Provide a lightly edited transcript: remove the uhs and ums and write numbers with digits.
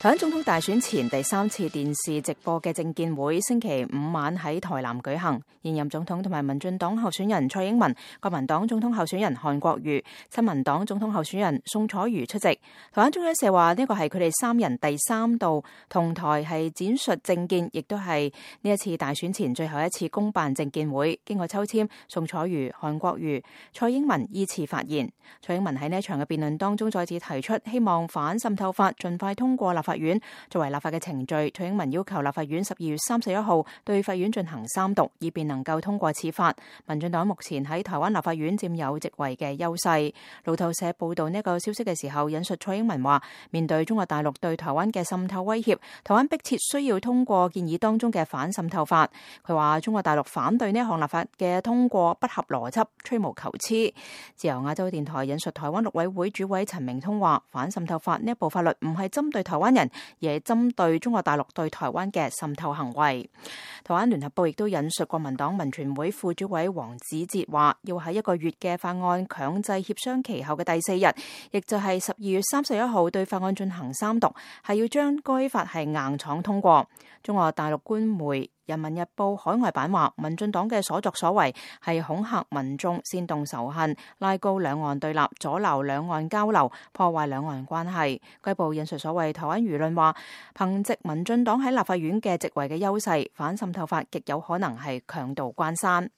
台灣總統大選前第3次電視直播嘅政見會星期5晚喺台南舉行，現任總統同埋民進黨候選人蔡英文、國民黨總統候選人韓國瑜、親民黨總統候選人宋楚瑜出席。台灣中央社話呢個係佢哋3人第3度同台係展述政見，亦都係呢一次大選前最後一次公辦政見會。經過抽籤，宋楚瑜、韓國瑜、蔡英文依次發言。蔡英文喺呢一場嘅辯論當中再次提出，希望反滲透法盡快通過立法院。作為立法嘅程序，蔡英文要求立法院12月31號對法院進行3讀，以便能夠通過此法。民進黨目前喺台灣立法院佔有席位嘅優勢。路透社報道呢個消息嘅時候，引述蔡英文話：面對中國大陸對台灣嘅滲透威脅，台灣迫切需要通過建議當中嘅反滲透法。佢話中國大陸反對呢一項立法嘅通過不合邏輯、吹毛求疵。自由亞洲電台引述台灣陸委會主委陳明通話：反滲透法呢一部法律唔係針對台灣人，而係針對中國大陸對台灣嘅滲透行為。台灣聯合報亦都引述國民黨民權會副主委黃子哲話：要喺1個月嘅法案強制協商期後嘅第4日，亦就係12月31號對法案進行3讀，係要將該法係硬闖通過。中國大陸官媒人民日報海外版話，民進黨嘅所作所為係恐嚇民眾、煽動仇恨、拉高兩岸對立、阻撓兩岸交流、破壞兩岸關係。該報引述所謂台灣輿論話，憑藉民進黨喺立法院嘅席位嘅優勢，反滲透法極有可能係強渡關山。